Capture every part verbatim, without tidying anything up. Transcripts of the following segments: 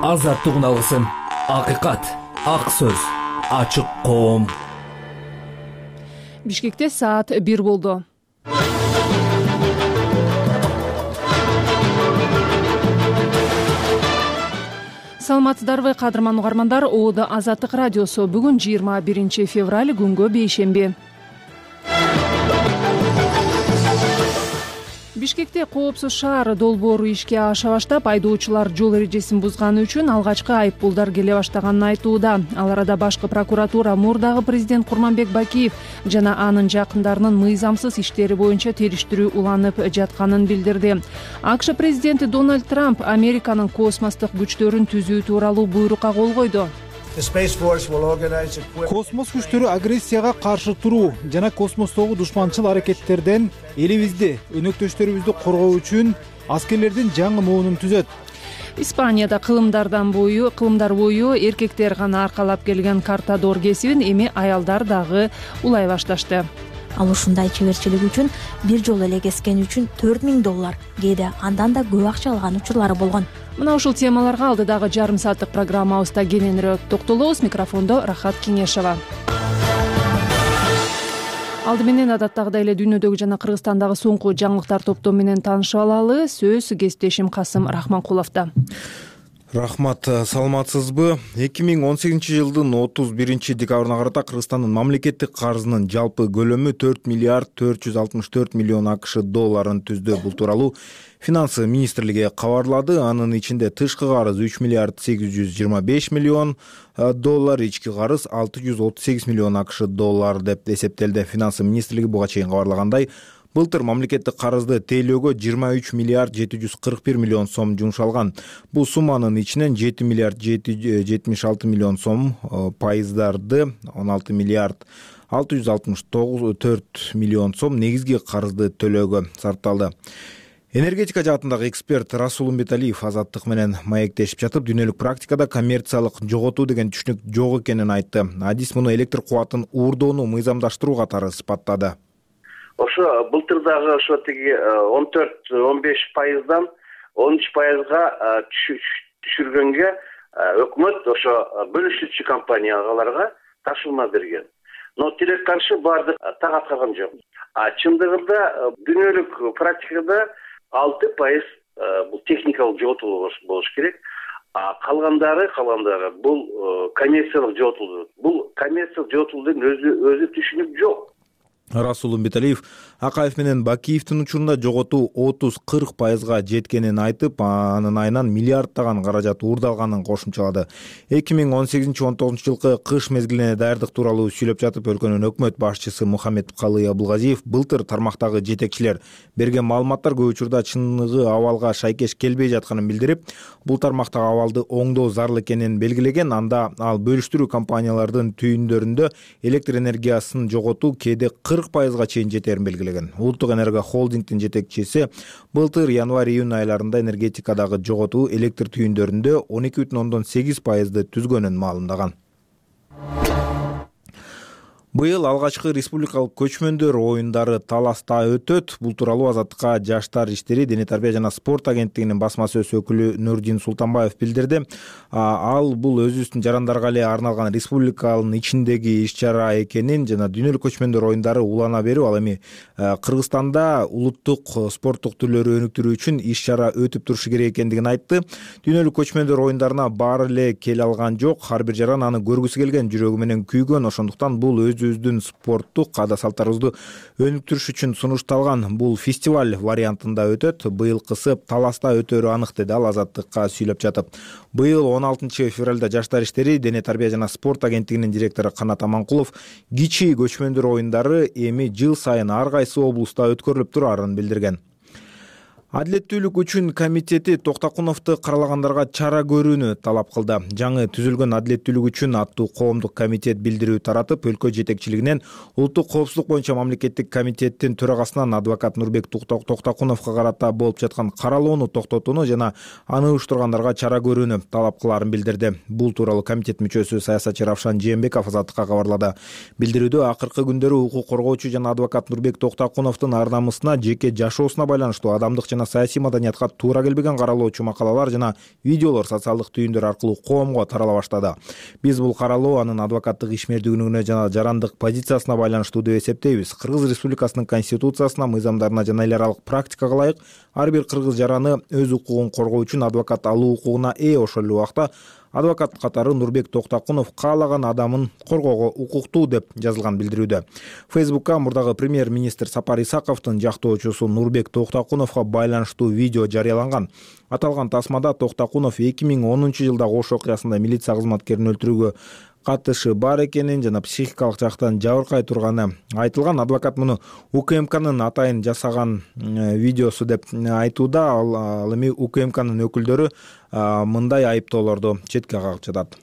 азаттык алгысым, акыйкат, ак сөз, ачык коом. Бишкекте саат бир болду. Саламатсыздарбы, кадырман угармандар. Оодо Азаттык радиосу. Бүгүн жыйырма биринчи февраль, күнгө бейшемби. Бишкекте коопсуз шаар долбоору ишке аша баштап, айдоочулар жол эрежесин бузганы үчүн алгачкы айыппулдар келе баштаганын айтууда. Ал арада башкы прокуратура мурдагы президент Курманбек Бакиев жана анын жакындарынын мыйзамсыз иштери боюнча териштирүү уланып жатканын билдирди. АКШ президенти Дональд Трамп Американын космостук күчтөрүн түзүү тууралуу буйрукка кол койду. Космос күчтөрү агрессияга каршы туруу жана космостогу душманчыл аракеттерден элибизди, өнөктөштөрүбүздү коргоо үчүн аскерлердин жаңы моунун түзөт. Испанияда кылымдардан бою, кылымдар бою эркектер гана аркалап келген картадор кесибин эми аялдар дагы улай башташты. Ал ушундай чеберчилик үчүн бир жолу эле кескен үчүн төрт миң доллар, кээде андан да көп акча алган учурлары болгон. Мына ушул темаларга алдыдагы жарым сааттык программабызда кененирээк токтолобуз. Микрофондо Рахат Кеңешова. Алды менен адаттагыдай эле дүйнөдөгү жана Кыргызстандагы соңку жаңылыктар топтому менен таанышып алалы. Сөз кесиптешим Касым Рахманкуловдо. Рахмат, саламатсызбы? эки миң он сегизинчи жылдын отуз биринчи декабрына карата Кыргызстандын мамлекеттик карызынын жалпы көлөмү төрт миллиард төрт жүз алтымыш төрт миллион акш долларын түздү. Бул тууралуу Финансы министрлиги кабарлады. Анын ичинде тышкы карыз үч миллиард сегиз жүз жыйырма беш миллион доллар, ички карыз алты жүз отуз сегиз миллион акш доллар деп эсептелди. Финансы министрлиги буга чейин кабарлагандай, былтыр мамлекеттик карызды тейлөөгө жыйырма үч миллиард жети жүз кырк бир миллион сом жумшалган. Бул сумманын ичинен жети миллиард жетимиш алты миллион сом пайыздарды, он алты миллиард алты жүз алтымыш төрт миллион сом негизги карызды төлөөгө сарпталды. Энергетика жаатындагы эксперт Расул Умбеталиев Азаттык менен маектешип жатып, дүйнөлүк практикада коммерциялык жоготуу деген түшүнүк жок экенин айтты. Адис муну электр кубатын уурдоону мыйзамдаштыруу катары сыпаттады. Ошо былтырдагы ошо тиги он төрт он беш пайыздан он үч пайызга түшүргөнгө өкмөт ошо бөлүшүүчү компанияларга тапшырма берген. Но тирек каршы барды так аткарган жок. А чындыгында дүйнөлүк практикада алты пайыз бул техникалык жоготуу болуш керек. А калгандары, калгандары бул коммерциялык жоготуу. Бул коммерциялык жоготуудун өзү өзү түшүнүк жок. Расул Умбеталиев Акаев менен Бакиевдин учурунда жоготуу отуз кырк пайызга жеткенин айтып, анын айынан миллиарддаган каражат уурдалганын кошумчалады. эки миң он сегизинчи он тогузунчу жылкы кыш мезгилине даярдык тууралуу сүйлөп жатып, өлкөнүн өкмөт башчысы Мухаммед Калый Абылгазиев былтыр тармактагы жетекчилер берген маалыматтар көп учурда чыныгы абалга шайкеш келбей жатканын билдирип, бул тармактагы абалды оңдоо зарыл экенин белгилеген. Анда ал бөлүштүрүү компаниялардын түйүндөрүндө электр энергиясын жоготуу кээде кырк пайызга чейин жетерин белгилеген. Улуттук энерго холдингдин жетекчиси былтыр январь-июнь айларында энергетикадагы жоготуу электр түйүндөрүндө он эки бүтүн ондон сегиз пайызды түзгөнүн маалымдаган. Быйыл алгачкы республикалык көчмөндөр оюндары Таласта өтөт. Бул тууралуу Азаттыкка Жаштар иштери, дене тарбия жана спорт агенттигинин басма сөз өкүлү Нурдин Султанбаев билдирди. Ал бул өзүбүздүн жарандарга эле арналган республиканын ичиндеги иш-чара экенин жана дүйнөлүк көчмөндөр оюндары улана берүү, ал эми Кыргызстанда улуттук спорттук түрлөрү өнүктүрүү үчүн иш-чара өтүп турушу керек экендигин айтты. Дүйнөлүк көчмөндөр оюндарына баары эле келе алган жок. Ар бир жаран аны көргүсү келген, жүрөгү менен күйгөн. Ошондуктан бул өзүбүздүн спорттук каада-салттарыбызды өнүктүрүш үчүн сунушталган. Бул фестиваль вариантында өтөт. Быйылкысы Таласта өтөрү анык, деди ал Азаттыкка сүйлөп жатып. Быйыл он алтынчы февралда Жаштар иштери, дене тарбия жана спорт агенттигинин директору Канат Аманкулов кичи көчмөндөр оюндары эми жыл сайын ар кайсы облуста өткөрүлүп турарын билдирген. Адилеттүүлүк үчүн комитети Токтокуновду каралагандарга чара көрүүнү талап кылды. Жаңы түзүлгөн Адилеттүүлүк үчүн аттуу коомдук комитет билдирүү таратып, өлкө жетекчилигинен улуттук коопсуздук боюнча мамлекеттик комитеттин төрагасынан адвокат Нурбек Токтокуновго карата болуп жаткан каралоону токтотууну жана аны уюштургандарга чара көрүүнү талап кылаарын билдирди. Бул тууралуу комитет мүчөсү саясатчы Равшан Жээнбеков Азаттыкка кабарлады. Билдирүүдө акыркы күндөрү укук коргоочу жана адвокат Нурбек Токтокуновдун ар намысына, жеке жашоосуна байланыштуу адамдык жана саясий маданиятка туура келбеген каралоочу макалалар жана видеолор социалдык түйүндөр аркылуу коомго тарала баштады. Биз бул каралоо анын адвокаттык ишмердүүлүгүнө жана жарандык позициясына байланыштуу деп эсептейбиз. Кыргыз Республикасынын конституциясына, мыйзамдарына жана эл аралык практикага ылайык ар бир кыргыз жараны өз укугун коргоо үчүн адвокат алуу укугуна ээ. Ошол эле убакта адвокат катары Нурбек Токтакунов каалаган адамын коргоого укуктуу деп жазылган билдирүүдө. Фейсбукка мурдагы премьер-министр Сапар Исаковдун жактоочусу Нурбек Токтакуновго байланыштуу видео жарыяланган. Аталган тасмада Токтакунов эки миң онунчу жылдагы Ош окуясында милиция кызматкерин өлтүрүүгө катышы бар экенин жана психикалык жактан жабыркай турганы айтылган. Адвокат муну УКМКнын атайын жасаган видеосу деп айтууда. Ал эми УКМКнын өкүлдөрү мындай айыптоолорду четке кагып жатат.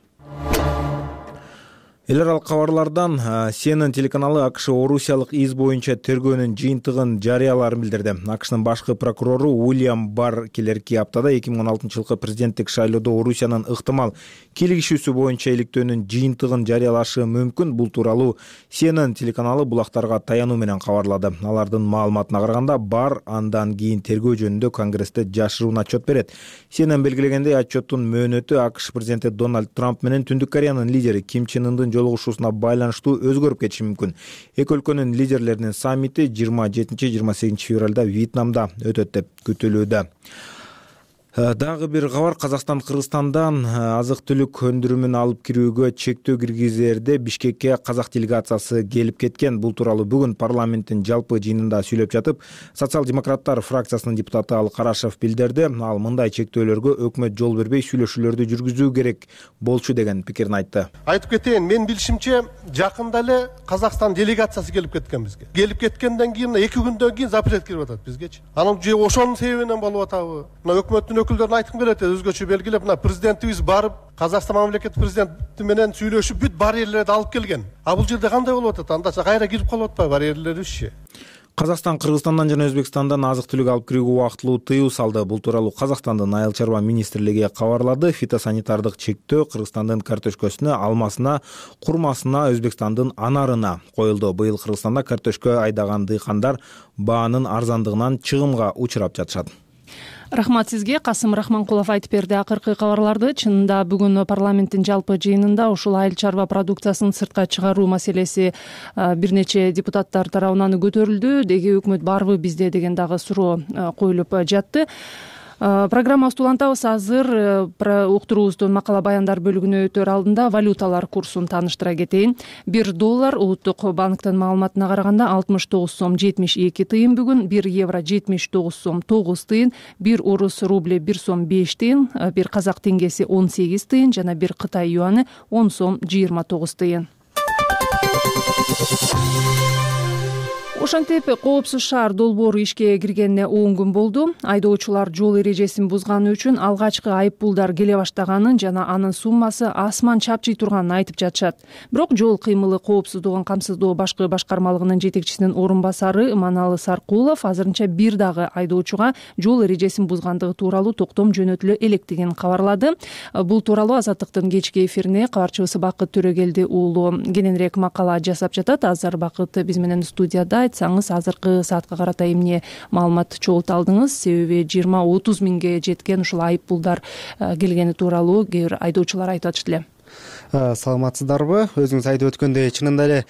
Эл аралык кабарлардан Си Эн Эн телеканалы АКШ Орусиялык из боюнча тергөөнүн жыйынтыгын жарыяларын билдирди. АКШнын башкы прокурору Уильям Барр келерки аптада эки миң он алтынчы жылкы президенттик шайлоодо Орусиянын ыктымал кийлигишүүсү боюнча иликтөөнүн жыйынтыгын жарыялашы мүмкүн. Бул тууралуу Си Эн Эн телеканалы булактарга таянуу менен кабарлады. Алардын маалыматына караганда, Барр андан кийин тергөө жөнүндө Конгрессте жашыруун отчет берет. Си Эн Эн белгилегендей, отчеттун мөөнөтү АКШ президенти Дональд Трамп менен Түндүк Кореянын лидери Ким Чен Ындын жолугушуусуна байланыштуу өзгөрүп кетиши мүмкүн. Эки өлкөнүн лидерлеринин саммити жыйырма жетинчи жыйырма сегизинчи февралда Вьетнамда өтөт деп күтүлүүдө. Дагы бир кабар: Казакстан Кыргызстандан азык-түлүк өндүрүмүн алып кирүүгө чектөө киргизерде Бишкекке казак делегациясы келип кеткен. Бул тууралуу бүгүн парламенттин жалпы жыйынында сүйлөп жатып, социал-демократтар фракциясынын депутаты Ал Карашев билдирди. Ал мындай чектөөлөргө өкмөт жол бербей сүйлөшүүлөрдү жүргүзүү керек болчу деген пикирин айтты. Айтып кетейин, мен билишимче жакында эле Казакстан делегациясы келип кеткен бизге. Келип кеткенден кийин эки күндөн кийин запрет кирип атат бизгечи. Анын же ошонун себебинен болуп атабы? Мына өкмөттүн өкүлдөрүн айткым келет, өзгөчө белгилеп, мына президентибиз барып Казакстан мамлекет президенти менен сүйлөшүп бүт барьерлерди алып келген. А бул жерде кандай болуп атат? Анда кайра кирип калып атпайбы барьерлерибизчи? Казакстан Кыргызстандан жана Өзбекстандан азык-түлүк алып кирүүгө убактылуу тыюу салды. Бул тууралуу Казакстандын айыл чарба министрлиги кабарлады. Фитосанитардык чектөө Кыргызстандын картошкасына, алмасына, курмасына, Өзбекстандын анарына коюлду. Быйыл Кыргызстанда картошка айдаган дыйкандар баанын арзандыгынан чыгымга учурап жатышат. Рахмат сизге. Касым Рахманкулов айтып берди акыркы кабарларды. Чынында бүгүн парламенттин жалпы жыйынында ушул айыл чарба продукциясын сыртка чыгаруу маселеси бир нече депутаттар тарабынан көтөрүлдү. Деги өкмөт барбы бизде деген дагы суроо коюлуп жатты. Программабызды улантабыз. Азыр уктуруубуздун макала баяндар бөлүгүнө өтөр алдында валюталар курсун тааныштыра кетейин. бир доллар улуттук банктын маалыматына караганда алтымыш тогуз сом жетимиш эки тыйын бүгүн, бир евро жетимиш тогуз сом тогуз тыйын, бир орус рубль бир сом беш тыйын, бир казак теңгеси он сегиз тыйын жана бир кытай юаны он сом жыйырма тогуз тыйын. Ошентип Коопсуз шаар долбоору ишке киргенине он күн болду. Айдоочулар жол эрежесин бузганы үчүн алгачкы айыппулдар келе баштаганын жана анын суммасы асман чапчый турганын айтып жатышат. Бирок жол кыймылы коопсуздугун камсыздоо башкы башкармалыгынын жетекчисинин орун басары Иманалы Саркулов азырынча бир дагы айдоочуга жол эрежесин бузгандыгы тууралуу токтом жөнөтүлө электигин кабарлады. Бул тууралуу Азаттыктын кечки эфирине кабарчыбыз Бакыт Төрөгелди уулу кененирээк макала жасап жатат. Азыр Бакыт биз менен студияда. Айтсаңыз, азыркы саатка карата эмне маалымат чогулта алдыңыз? Себеби жыйырма отуз миңге жеткен ушул айыппулдар келгени тууралуу кээ бир айдоочулар айтып атышты эле. Саламатсыздарбы? Өзүңүз айтып өткөндөй, чынында эле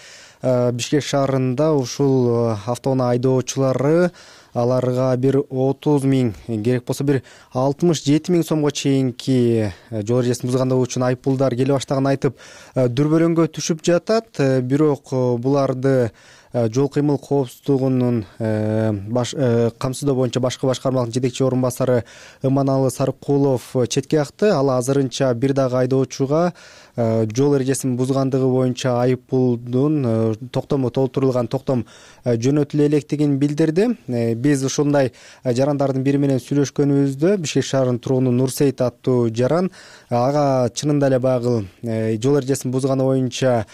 Бишкек шаарында ушул автоунаа айдоочулары аларга бир отуз миң, керек болсо бир алтымыш жети миң сомго чейинки жол эрежесин бузгандыгы үчүн айыппулдар келе баштаганын айтып дүрбөрөңгө түшүп жатат. Бирок буларды жол кыймыл коопсуздугунун камсыздоо боюнча башкы башкармалыктын жетекчи орун басары Иманалы Саркулов четке какты. Ал азырынча бир дагы айдоочуга жол эрежесин бузгандыгы боюнча айыппулдун токтому толтурулган токтом жөнөтүлө электигин билдирди. Биз ушундай жарандардын бири менен сүйлөшкөнүбүздө Бишкек шаарынын тургуну Нурсейит аттуу жаран ага чынында эле баягы жол эрежесин бузганы боюнча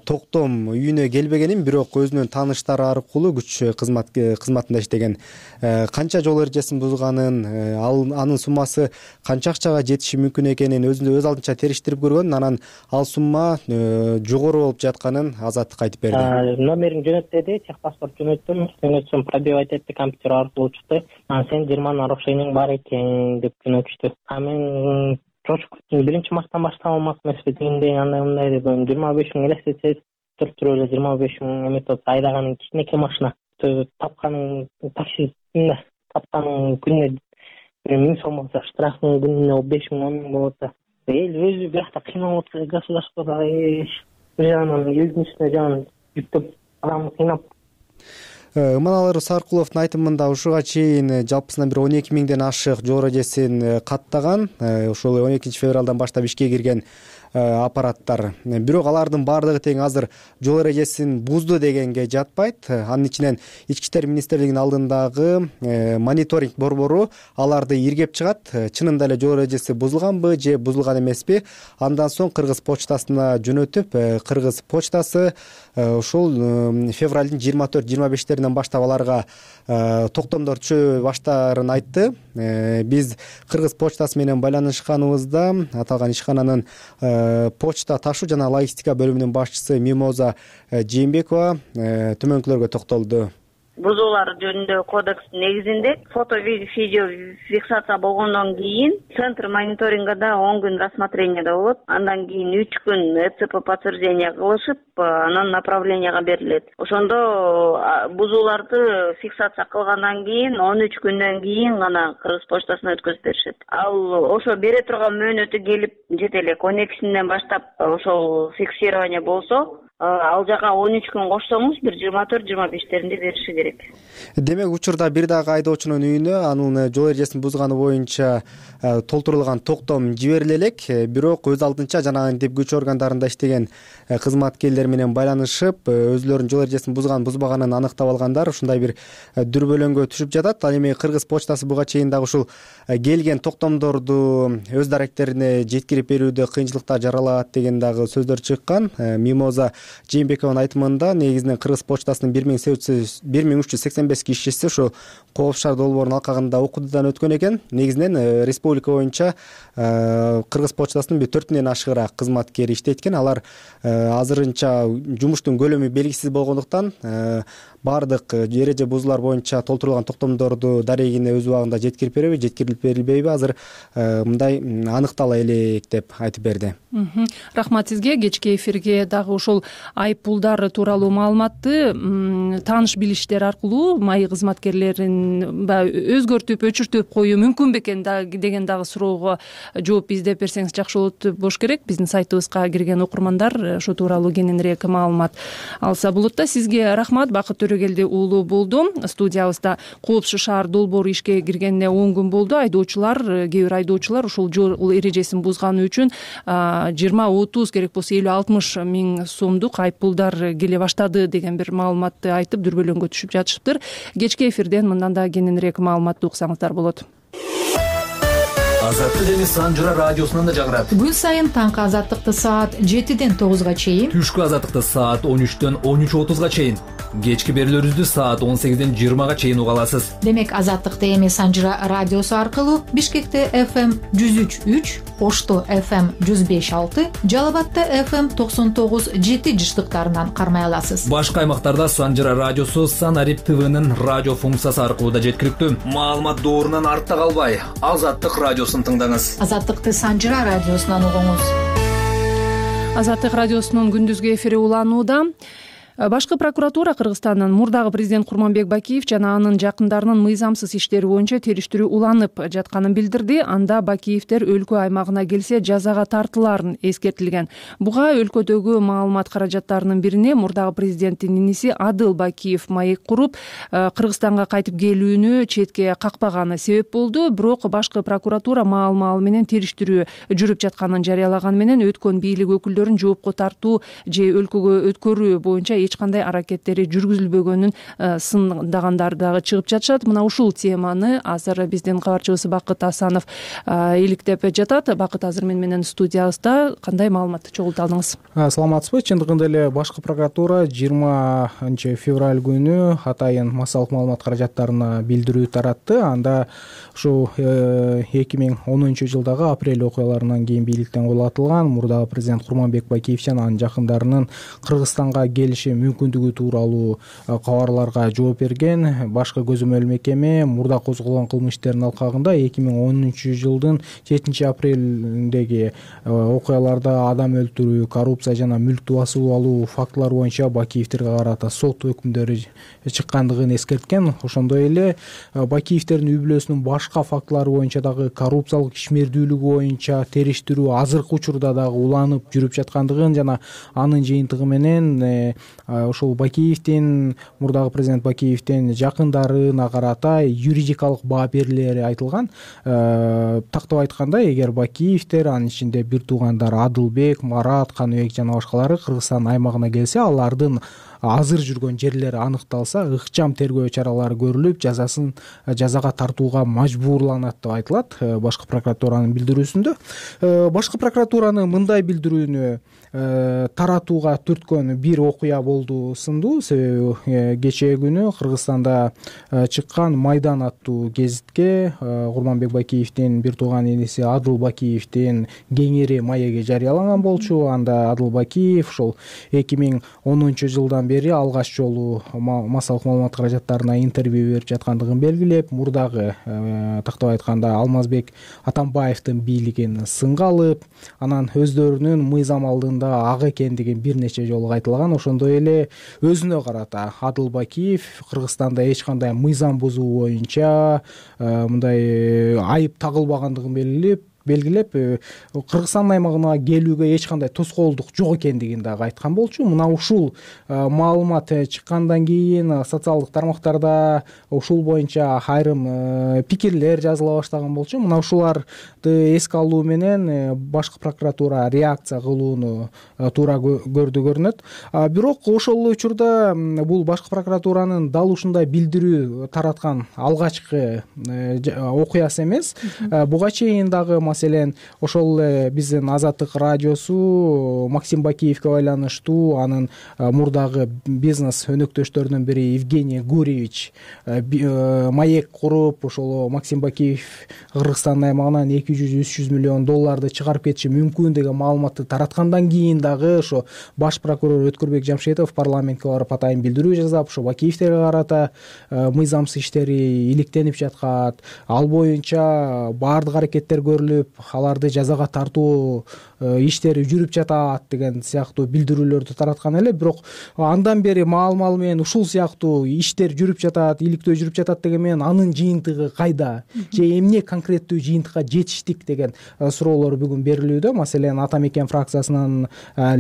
токтом үйүнө келбегенин, бирок өзүнүн өзүнүн тааныштары аркылуу күч кызмат кызматында иштеген. Канча жол эрежесин бузганын, ал анын суммасы канча акчага жетиши мүмкүн экенин өзү өз алдынча териштирип көргөн, анан ал сумма жогору болуп жатканын Азаттыкка айтып берди. Номерин жөнөт деди, техпаспорт жөнөттүм, жөнөтсөм пробивать этти, компьютер аркылуу чыкты. Анан сен жыйырма нарушениең бар экен деп жөнөтүштү. А мен чочуп кеттим, биринчи марттан баштап алмак эмеспи дегендей, андай мындай деп жыйырма беш миң элестетсе төрттүрүп эле жыйырма беш миң эметип айдаганың кичинекей машина. Тапканың таксистинде тапканың күнүнө бир миң сом болсо, штрафың күнүнө беш миң он миң болот да. Эл өзү биякта кыйналып атат, государствода бир жагынан элдин үстүнө жагын жүктөп адамды кыйнап. Ыманалар Саркуловдун айтымында ушуга чейин жалпысынан бир он эки миңден ашык жол эрежесин каттаган. Ошол он экинчи февралдан баштап ишке кирген аппараттар. Бирок алардын баардыгы тең азыр жол эрежесин бузду дегенге жатпайт. Анын ичинен Ички иштер министрлигинин алдындагы мониторинг борбору аларды иргеп чыгат. Чынында эле жол эрежеси бузулганбы же бузулган эмеспи? Андан соң Кыргыз почтасына жөнөтүп, Кыргыз почтасы ушул февралдын жыйырма төрт жыйырма бештеринен баштап аларга токтомдор түшө баштаарын айтты. Биз Кыргыз почтасы менен байланышканыбызда аталган ишкананын почта ташуу жана логистика бөлүмүнүн башчысы Мимоза Жээнбекова төмөнкүлөргө токтолду. Бузуулар жөнүндө кодекстин негизинде фото видео фиксация болгондон кийин центр мониторингде он күн рассмотрениеде болот. Андан кийин үч күн ЭЦП подтверждение кылышып, анан направленияга берилет. Ошондо бузууларды фиксация кылгандан кийин он үч күндөн кийин гана Кыргыз почтасына өткөзүп беришет. Ал ошо бере турган мөөнөтү келип жете элек он экисинен баштап ошол фиксирование болсо, ал жака он үч күн кошсоңуз бир жыйырма төрт жыйырма бештеринде бериши керек. Демек учурда бир дагы айдоочунун үйүнө анын жол эрежесин бузганы боюнча толтурулган токтом жибериле элек. Бирок өз алдынча жанагынтип күч органдарында иштеген кызматкерлер менен байланышып, өзүлөрүнүн жол эрежесин бузган бузбаганын аныктап алгандар ушундай бир дүрбөлөңгө түшүп жатат. Ал эми Кыргыз почтасы буга чейин дагы ушул келген токтомдорду өз даректерине жеткирип берүүдө кыйынчылыктар жаралат деген дагы сөздөр чыккан. Мимоза Жээнбекованын айтымында негизинен Кыргыз почтасынын бир миң үч жүз сексен беш кишиси ошо Кооп шаар долбоорунун алкагында окуутудан өткөн экен. Негизинен республика боюнча Кыргыз почтасынын бир төртүнөн ашыгыраак кызматкери иштейт экен. Алар азырынча жумуштун көлөмү белгисиз болгондуктан баардык эреже бузуулар боюнча толтурулган токтомдорду дарегине өз убагында жеткирип береби, жеткирилип берилбейби, азыр мындай аныктала элек деп айтып берди. Рахмат сизге. Кечки эфирге дагы ушул айыппулдар тууралуу маалыматты тааныш билиштер аркылуу маи кызматкерлерин өзгөртүп, өчүртүп коюу мүмкүн бекен деген дагы суроого жооп издеп берсеңиз жакшы болот болуш керек. Биздин сайтыбызга кирген окурмандар ошол тууралуу кененирээк маалымат алса болот да. Сизге рахмат. Бакыт Төрөгелди уулу болду. Студиябызда Коопсу шаар долбоору ишке киргенине он күн болду. Айдоочулар, кээ бир айдоочулар ушул жол эрежесин бузганы үчүн жыйырма отуз керек болсо элүү алтымыш миң сомдук айыппулдар келе баштады деген бир маалыматты айтып дүрбөлөңгө түшүп жатышыптыр. Кечки эфирден мындан да кененирээк маалыматты уксаңыздар болот. Азаттык эми Санжыра радиосунан да жаңырат. Күн сайын таңкы азаттыкты саат жетиден тогузга чейин, түшкү азаттыкты саат он үчтөн он үч отузга чейин, кечки берүүлөрүбүздү саат он сегизден жыйырмага чейин уга аласыз. Демек азаттыкты эми Санжыра радиосу аркылуу Бишкекте эф эм жүз үч үч, Ошто эф эм жүз беш алты, Жалал Абадта эф эм токсон тогуз жети жыштыктарынан кармай аласыз. Башка аймактарда Санжыра радиосу Санарип ТВнын радио функциясы аркылуу да жеткиликтүү. Маалымат доорунан артта калбай, Азаттык радиосун тыңдаңыз. Азаттыкты Санжыра радиосунан угуңуз. Азаттык радиосунун күндүзгү эфири уланууда. Башкы прокуратура Кыргызстандын мурдагы президент Курманбек Бакиев жана анын жакындарынын мыйзамсыз иштери боюнча териштирүү уланып жатканын билдирди. Анда Бакиевдер өлкө аймагына келсе жазага тартыларын эскертилген. Буга өлкөдөгү маалымат каражаттарынын бирине мурдагы президенттин иниси Адыл Бакиев маек куруп, Кыргызстанга кайтып келүүнү четке какпаганы себеп болду. Бирок башкы прокуратура маал-маал менен териштирүү жүрүп жатканын жарыялаганы менен өткөн бийлик өкүлдөрүн жоопко тартуу же өлкөгө өткөрүү боюнча эч кандай аракеттери жүргүзүлбөгөнүн сындагандар дагы чыгып жатышат. Мына ушул теманы азыр биздин кабарчыбыз Бакыт Асанов иликтеп жатат. Бакыт, азыр мен менен студиябызда. Кандай маалыматты чогулта алдыңыз? Саламатсызбы? Чындыгында эле башкы прокуратура жыйырманчы февраль күнү атайын массалык маалымат каражаттарына билдирүү таратты. Анда ушу эки миң онунчу жылдагы апрель окуяларынан кийин бийликтен кулатылган мурдагы президент Курманбек Бакиев жана анын жакындарынын Кыргызстанга келиши мүмкүндүгү тууралуу кабарларга жооп берген башкы көзөмөл мекеме мурда козголгон кылмыш иштеринин алкагында эки миң онунчу жылдын жетинчи апрелиндеги окуяларда адам өлтүрүү, коррупция жана мүлктү басып алуу фактылары боюнча Бакиевтерге карата сот өкүмдөрү чыккандыгын эскерткен. Ошондой эле Бакиевтердин үй бүлөсүнүн башка фактылары боюнча дагы коррупциялык ишмердүүлүгү боюнча териштирүү азыркы учурда дагы уланып жүрүп жаткандыгын жана анын жыйынтыгы менен ошол Бакиевдин мурдагы президент Бакиевдин жакындарына карата юридикалык баа берилери айтылган. Тактап айтканда, эгер Бакиевтер, анын ичинде бир туугандар Адылбек, Марат, Каныбек жана башкалары Кыргызстан аймагына келсе, алардын азыр жүргөн жерлери аныкталса, ыкчам тергөө чаралары көрүлүп, жазасын жазага тартууга мажбурланат деп айтылат башкы прокуратуранын билдирүүсүндө. Башкы прокуратуранын мындай билдирүүнү таратууга түрткөн бир окуя болду сындуу. Себеби кечээ күнү Кыргызстанда чыккан Майдан аттуу гезитке Курманбек Бакиевдин бир тууган иниси Адыл Бакиевдин кеңири маеги жарыяланган болчу. Анда Адыл Бакиев ошол эки миң онунчу жылдан бери алгач жолу массалык маалымат каражаттарына интервью берип жаткандыгын белгилеп, мурдагы тактап айтканда Алмазбек Атамбаевдин бийлигин сынга алып, анан өздөрүнүн мыйзам алдында ак экендигин бир нече жолу айтылган. Ошондой эле өзүнө карата Адыл Бакиев Кыргызстанда эч кандай мыйзам бузуу боюнча мындай айып тагылбагандыгын белгилеп белгилеп Кыргызстан аймагына келүүгө эч кандай тоскоолдук жок экендигин дагы айткан болчу. Мына ушул маалымат чыккандан кийин социалдык тармактарда ушул боюнча айрым пикирлер жазыла баштаган болчу. Мына ушуларды эске алуу менен башкы прокуратура реакция кылууну туура көрдү көрүнөт. Бирок ошол учурда бул башкы прокуратуранын дал ушундай билдирүү тараткан алгачкы окуясы эмес. Буга чейин дагы маселен ошол биздин Азаттык радиосу Максим Бакиевге байланыштуу анын мурдагы бизнес өнөктөштөрүнүн бири Евгений Гурьевич маек куруп, ошол Максим Бакиев Кыргызстан аймагынан эки жүз үч жүз миллион долларды чыгарып кетиши мүмкүн деген маалыматты тараткандан кийин дагы ошо баш прокурор Өткөрбек Жамшетов парламентке барып атайын билдирүү жасап, ошо Бакиевтерге карата мыйзамсыз иштери иликтенип жаткат, ал боюнча баардык аракеттер көрүлүп, аларды жазага тартуу иштери жүрүп жатат деген сыяктуу билдирүүлөрдү тараткан эле. Бирок андан бери маал-мал менен ушул сыяктуу иштер жүрүп жатат, иликтөө жүрүп жатат деген менен анын жыйынтыгы кайда же эмне конкреттүү жыйынтыкка жетиштик деген суроолор бүгүн берилүүдө. Маселен, Ата Мекен фракциясынын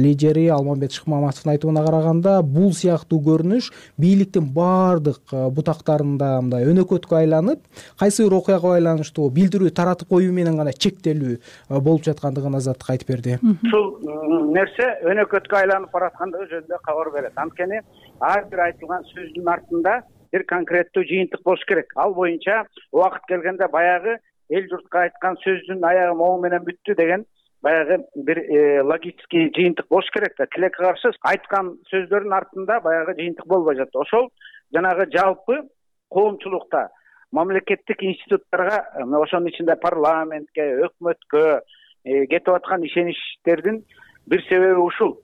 лидери Алмамбет Шыкмаматовдун айтымына караганда, бул сыяктуу көрүнүш бийликтин баардык бутактарында мындай өнөкөткө айланып, кайсы бир окуяга байланыштуу билдирүү таратып коюу менен гана чектелүү болуп жаткандыгын Азаттык айтып берди. Ушул нерсе өнөкөткө айланып бараткандыгы жөнүндө кабар берет. Анткени ар бир айтылган сөздүн артында бир конкреттүү жыйынтык болуш керек. Ал боюнча убакыт келгенде баягы эл журтка айткан сөздүн аягы моң менен бүттү деген баягы бир логический жыйынтык болуш керек да. Тилекке каршы айткан сөздөрдүн артында баягы жыйынтык болбой жатты. Ошол жанагы жалпы коомчулукта мамлекеттик институттарга, ошонун ичинде парламентке, өкмөткө кетип аткан ишеничтердин бир себеби ушул.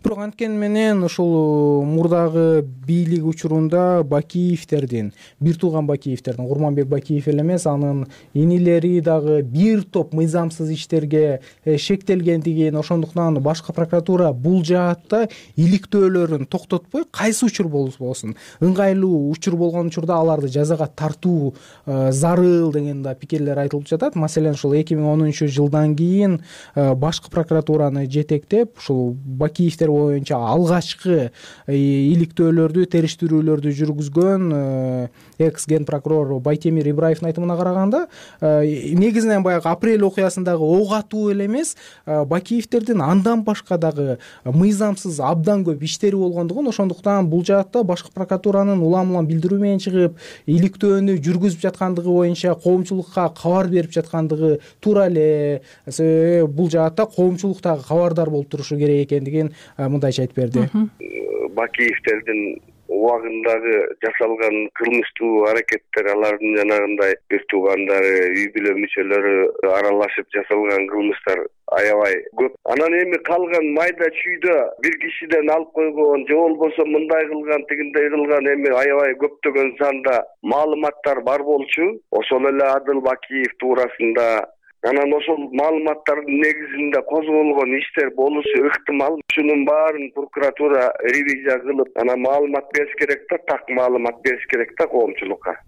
Бирок анткени менен ушул мурдагы бийлик учурунда Бакиевтердин, бир тууган Бакиевтердин, Курманбек Бакиев эле эмес, анын инилери дагы бир топ мыйзамсыз иштерге шектелгендигин, ошондуктан башкы прокуратура бул жаатта иликтөөлөрүн токтотпой, кайсы учур болбосун ыңгайлуу учур болгон учурда аларды жазага тартуу зарыл деген да пикирлер айтылып жатат. Маселен, ушул эки миң онунчу жылдан кийин башкы прокуратураны жетектеп, ушул Бакиевдер боюнча алгачкы иликтөөлөрдү, териштирүүлөрдү жүргүзгөн экс ген прокурор Байтемир Ибраевдин айтымына караганда, негизинен баягы апрель окуясындагы ок атуу эле эмес, Бакиевдердин андан башка дагы мыйзамсыз абдан көп иштери болгондугун, ошондуктан бул жаатта башкы прокуратуранын улам улам билдирүү менен чыгып, иликтөөнү жүргүзүп жаткандыгы боюнча коомчулукка кабар берип жаткандыгы туура эле. Бул жаатта коомчулук дагы кабардар болуп турушу керек экендигин мындайча айтып берди. Бакиевдердин убагындагы жасалган кылмыштуу аракеттер, алардын жанагындай бир туугандары, үй бүлө мүчөлөрү аралашып жасалган кылмыштар аябай көп. Анан эми калган майда чүйдө бир кишиден алып койгон же болбосо мындай кылган, тигиндей кылган эми аябай көптөгөн санда маалыматтар бар болчу. Ошол эле Адыл Бакиев туурасында анан ошол маалыматтардын негизинде козголгон иштер болушу ыктымал. Ушунун баарын прокуратура ревизия кылып, анан маалымат бериш керек да, так маалымат бериш керек да коомчулукка.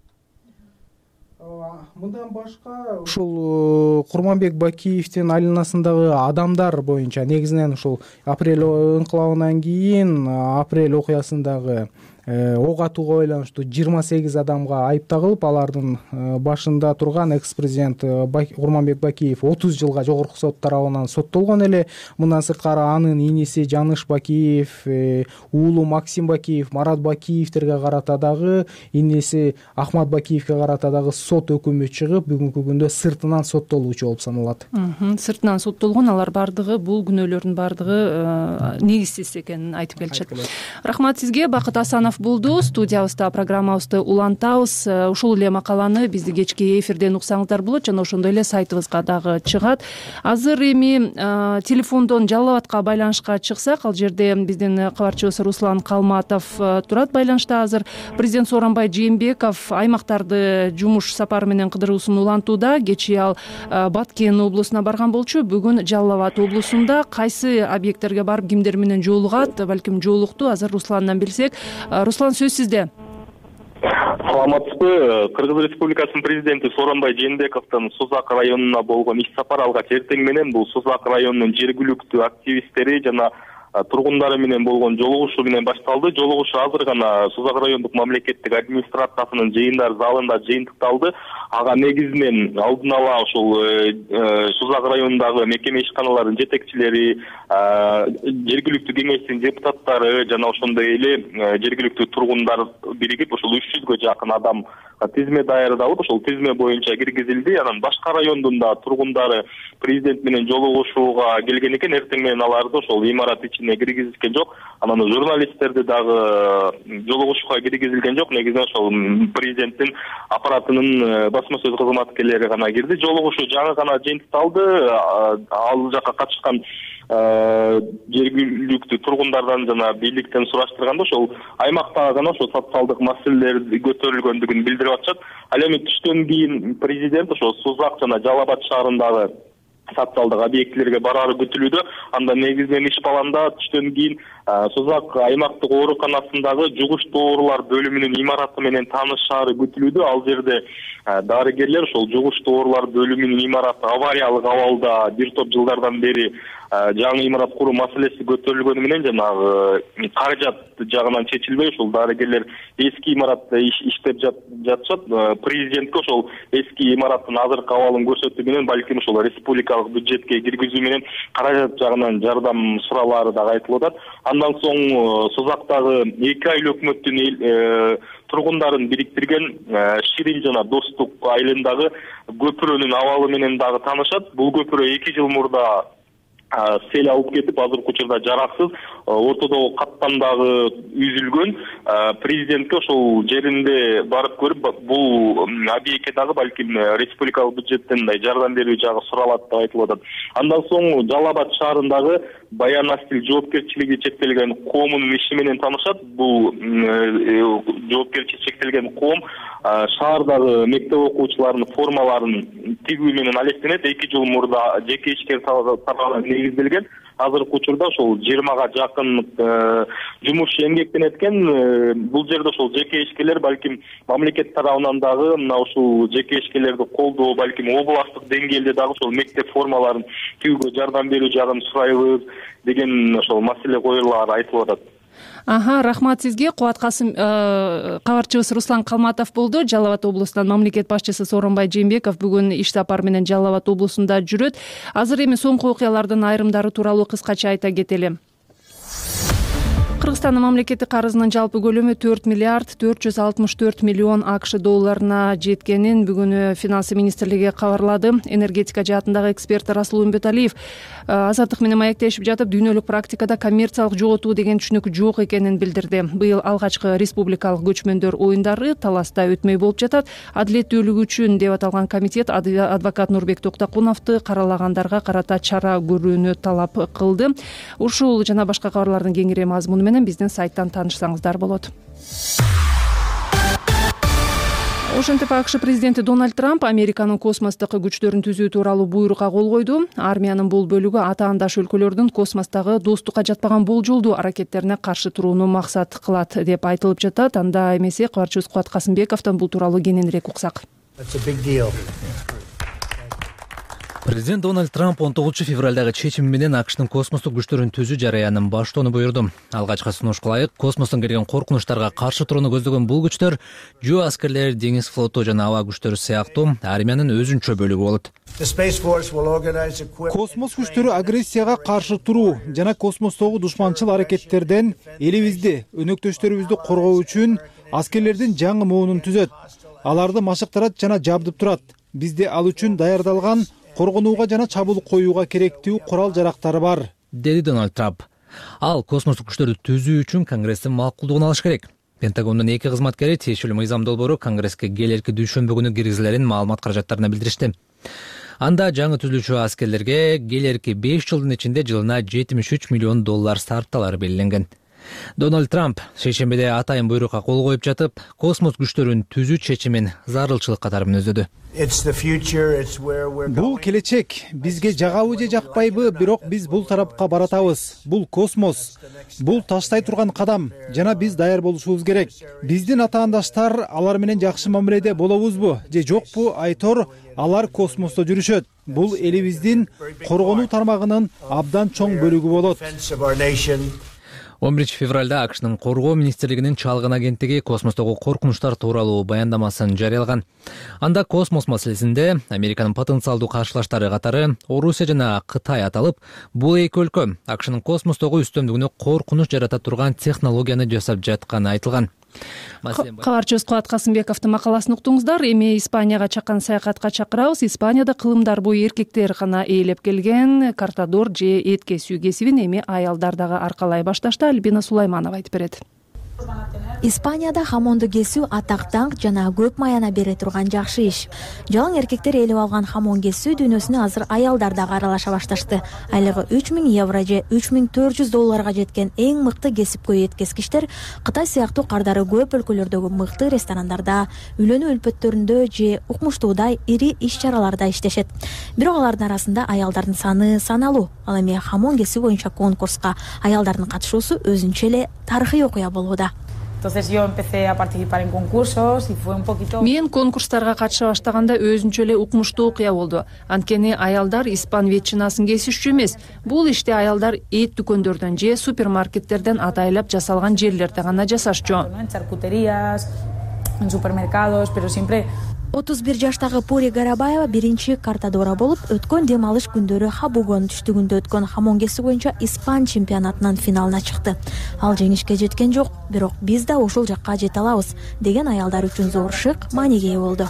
Мындан башка ушул Курманбек Бакиевдин айланасындагы адамдар боюнча негизинен ушул апрель инкылабынан кийин апрель окуясындагы ок атууга байланыштуу жыйырма сегиз адамга айып тагылып, алардын башында турган экс-президент Курманбек Бакиев отуз жылга жогорку сот тарабынан соттолгон эле. Мындан сырткары анын иниси Жаныш Бакиев, уулу Максим Бакиев, Марат Бакиевтерге карата дагы, иниси Ахмат Бакиевге карата дагы сот өкүмү чыгып, бүгүнкү күндө сыртынан соттолуучу болуп саналат. Сыртынан соттолгон, алар бардыгы бул күнөөлөрдүн бардыгы негизсиз экенин айтып келишет. Рахмат сизге. Бакыт Асанов болду. Студиябызда программабызды улантабыз. Ушул эле макаланы бизди кечки эфирден уксаңыздар болот жана ошондой эле сайтыбызга дагы чыгат. Азыр эми телефондон Жалал Абадка байланышка чыксак, ал жерде биздин кабарчыбыз Руслан Калматов турат байланышта. Азыр президент Сооронбай Жээнбеков аймактарды жумуш сапары менен кыдыруусун улантууда. Кечээ ал Баткен облусуна барган болчу. Бүгүн Жалал Абад облусунда кайсы объекттерге барып кимдер менен жолугат, балким жолукту. Азыр Русландан билсек. Руслан, сөз сизде. Саламатсызбы. Кыргыз Республикасынын президенти Сооронбай Жээнбековдун Созак районуна болгон иш сапары алгач эртең менен бул Созак районунун жергиликтүү активисттери жана тургундары менен болгон жолугушуу менен башталды. Жолугушуу азыр гана Созак райондук мамлекеттик администрациясынын жыйындар залында жыйынтыкталды. Ага негизинен алдын ала ошол Созак районундагы мекеме ишканаларынын жетекчилери, жергиликтүү кеңештин депутаттары жана ошондой эле жергиликтүү тургундар биригип ошол үч жүзгө жакын адам тизме даярдалып, ошол тизме боюнча киргизилди. Анан башка райондун да тургундары президент менен жолугушууга келген экен. Эртең менен аларды ошол имарат ичине киргизишкен жок. Анан журналисттерди дагы жолугушууга киргизилген жок. Негизинен ошол президенттин аппаратынын басма сөз кызматкерлери гана кирди. Жолугушуу жаңы гана жыйынтыкталды. Ал жакка катышкан жергиликтүү тургундардан жана бийликтен сураштырганда ошол аймактагы гана ошол социалдык маселелер көтөрүлгөндүгүн билдирип атышат. Ал эми түштөн кийин президент ошол Созак жана Жалал Абад шаарындагы социалдык объектилерге барары күтүлүүдө. Анда негизинен иш планда түштөн кийин Созак аймактык ооруканасындагы жугуш доорулар бөлүмүнүн имараты менен таанышаары күтүлүүдө. Ал жерде дарыгерлер ошол жугуш доорулар бөлүмүнүн имараты авариялык абалда бир топ жылдардан бери жаңы имарат куруу маселеси көтөрүлгөнү менен жанагы каражат жагынан чечилбей ошол дарыгерлер эски имаратта иштеп жатышат. Президентке ошол эски имараттын азыркы абалын көрсөтүү менен балким ошол республикалык бюджетке киргизүү менен каражат жагынан жардам суралаары дагы айтылып атат. Андан соң Созактагы эки айыл өкмөттүн тургундарын бириктирген Ширин жана Достук айылындагы көпүрөнүн абалы менен дагы таанышат. Бул көпүрө эки жыл мурда сел алып кетип, азыркы учурда жараксыз, ортодогу каттам дагы үзүлгөн. Президентке ошол жеринде барып көрүп, бул объектке дагы балким республикалык бюджеттен жардам берүү жагы суралат деп айтылып атат. Андан соң Жалал Абад шаарындагы Баян Астил жоопкерчилиги чектелген коомунун иши менен таанышат. Бул жоопкерчилиги чектелген коом шаардагы мектеп окуучуларынын формаларын тигүү менен алектенет. эки жыл мурда жеке ишкер тарабынан негизделген. Азыркы учурда ошол жыйырмага жакын жакын жумушчу эмгектенет экен. Бул жерде ошол жеке ишкерлер балким мамлекет тарабынан дагы мына ушул жеке ишкерлерди колдоо, балким областтык деңгээлде дагы ошол мектеп формаларын тигүүгө жардам берүү жагын сурайбыз деген ошол маселе коюлары айтылып атат. Аха, рахмат сизге. Кубат Касым кабарчыбыз Руслан Калматов болду. Жалал Абад облусунан мамлекет башчысы Сооронбай Жээнбеков бүгүн иш сапары менен Жалал Абад облусунда жүрөт. Азыр эми соңку окуялардын айрымдары тууралуу кыскача айта кетели. Кыргызстандын мамлекеттик карызынын жалпы көлөмү төрт миллиард төрт жүз алтымыш төрт миллион АКШ долларына жеткенин бүгүн Финансы министрлиги кабарлады. Энергетика жаатындагы эксперт Расул Умбеталиев Азаттык менен маектешип жатып, дүйнөлүк практикада коммерциялык жоготуу деген түшүнүк жок экенин билдирди. Быйыл алгачкы республикалык көчмөндөр оюндары таласта өтмөй болуп жатат. Адилеттүүлүк үчүн деп аталган комитет адвокат Нурбек Токтокуновду каралагандарга карата чара көрүүнү талап кылды. Ушул жана башка кабарлардын кеңири мазмуну менен биздин сайттан таанышсаңыздар болот. Ошентип АКШ президенти Дональд Трамп Американын космостук күчтөрүн түзүү тууралуу буйрукка кол койду. Армиянын бул бөлүгү атаандаш өлкөлөрдүн космостогу достукка жатпаган болжолдуу аракеттерине каршы турууну максат кылат деп айтылып жатат. Анда эмесе кабарчыбыз Кубат Касымбековдон бул тууралуу кененирээк уксак. Президент Дональд Трамп он тогузунчу февралдагы чечими менен АКШтын космостук күчтөрүн түзүү жараянын баштоону буйрду. Алгачкы сунушка ылайык космостон келген коркунучтарга каршы турууну көздөгөн бул күчтөр жөө аскерлер, деңиз флоту жана аба күчтөрү сыяктуу армиянын өзүнчө бөлүгү болот. Космос күчтөрү агрессияга каршы туруу жана космостогу душманчыл аракеттерден элибизди, өнөктөштөрүбүздү коргоо үчүн аскерлердин жаңы моонун түзөт. Аларды машыктырат жана жабдып турат. Бизде ал үчүн даярдалган коргонууга жана чабуул коюуга керектүү курал-жарактары бар, деди Дональд Трамп. Ал космостук күчтөрдү түзүү үчүн Конгресстин макулдугун алыш керек. Пентагондун эки кызматкери тиешелүү мыйзам долбоору Конгресске келерки дүйшөмбү күнү киргизилерин маалымат каражаттарына билдиришти. Анда жаңы түзүлүүчү аскерлерге келерки беш жылдын ичинде жылына жетимиш үч миллион доллар сарпталары белгиленген. Дональд Трамп шейшембиде атайын буйрукка кол коюп жатып, космос күчтөрүн түзүү чечимин зарылчылык катары мүнөздөдү. Бул келечек, бизге жагабы же жакпайбы, бирок биз бул тарапка баратабыз. Бул космос, бул таштай турган кадам, жана биз даяр болушубуз керек. Биздин атаандаштар алар менен жакшы мамиледе болобузбу же жокпу айтор, алар космосто жүрүшөт. Бул элибиздин коргонуу тармагынын абдан чоң бөлүгү болот. он биринчи февралда АКШнын коргоо министрлигинин чалгын агенттиги космостогу коркунучтар тууралуу баяндамасын жарыялаган. Анда космос маселесинде Американын потенциалдуу каршылаштары катары Орусия жана Кытай аталып, бул эки өлкө АКШнын космостогу үстөмдүгүнө коркунуч жарата турган технологияны жасап жатканы айтылган. Кабарчыбыз Кубат Касымбековдун макаласын уктуңуздар. Эми Испанияга чакан саякатка чакырабыз. Испанияда кылымдар бою эркектер гана ээлеп келген картадор же эт кесүү кесибин эми аялдар дагы аркалай башташты. Альбина Сулайманова айтып берет. Испанияда хамонду кесүү атак даңк жана көп маяна бере турган жакшы иш. Жалаң эркектер ээлеп алган хамон кесүү дүйнөсүнө азыр аялдар дагы аралаша башташты. Айлыгы үч миң евро же үч миң төрт жүз долларга жеткен эң мыкты кесипкөй эткескичтер Кытай сыяктуу кардары көп өлкөлөрдөгү мыкты ресторандарда, үйлөнүү үлпөттөрүндө же укмуштуудай ири иш-чараларда иштешет. Бирок алардын арасында аялдардын саны саналуу. Ал эми хамон кесүү боюнча конкурска аялдардын катышуусу өзүнчө эле тарыхый окуя болууда. Мен конкурстарга катыша баштаганда өзүнчө эле укмуштуу окуя болду. Анткени аялдар испан ветчинасын кесишчү эмес. Бул ишти аялдар эт дүкөндөрдөн же супермаркеттерден атайлап жасалган жерлерде гана жасашчу. отуз бир жаштагы Пори Гарабаева биринчи картадора болуп, өткөн дем алыш күндөрү Хабугон түштүгүндө өткөн хамон кесүү боюнча Испан чемпионатынын финалына чыкты. Ал жеңишке жеткен жок, бирок биз да ошол жакка жете алабыз деген аялдар үчүн зор шык мааниге ээ болду.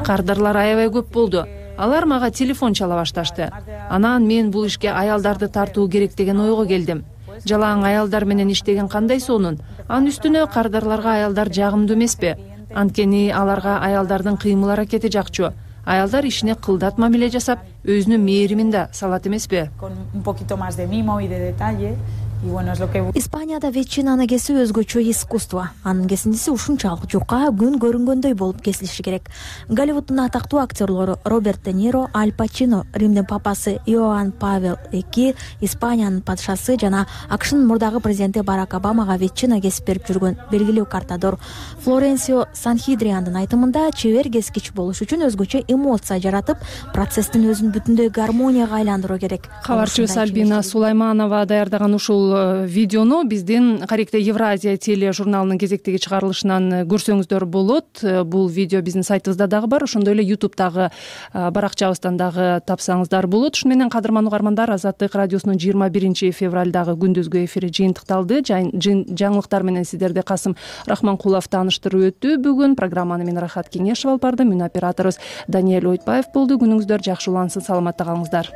Кардарлар аябай көп болду. Алар мага телефон чала башташты. Анан мен бул ишке аялдарды тартуу керек деген ойго келдим. Жалаң аялдар менен иштеген кандай сонун. Анын үстүнө кардарларга аялдар жагымдуу эмеспи? Анткени аларга аялдардын кыймыл аракети жакчу. Аялдар ишине кылдат мамиле жасап, өзүнүн мээримин да салат эмеспи? Испанияда ветчинаны кесүү өзгөчө искусство. Анын кесиндиси ушунчалык жука, күн көрүнгөндөй болуп кесилиши керек. Голливуддун атактуу актерлору Роберт Де Ниро, Аль Пачино, Римдин папасы Иоанн Павел экинчи, Испаниянын падышасы жана АКШнын мурдагы президенти Барак Обамага ветчина кесип берип жүргөн белгилүү картадор Флоренсио Санхидриандын айтымында, чебер кескич болуш үчүн өзгөчө эмоция жаратып, процесстин өзүн бүтүндөй гармонияга айландыруу керек. Кабарчыбыз Альбина Сулайманова даярдаган ушул видеону биздин Каректе Евразия теле журналынын кезектеги чыгарылышынан көрсөңүздөр болот. Бул видео биздин сайтыбызда дагы бар, ошондой эле ютубтагы баракчабыздан дагы тапсаңыздар болот. Ушун менен кадырман угармандар, Азаттык радиосунун жыйырма биринчи февралдагы күндүзгү эфири жыйынтыкталды. Жаңылыктар менен сиздерди Касым Рахманкулов тааныштырып өттү. Бүгүн программаны мен Рахат Кеңешов алып бардым. Мүн операторубуз Даниэль Ойтбаев болду. Күнүңүздөр жакшы улансын, саламатта калыңыздар.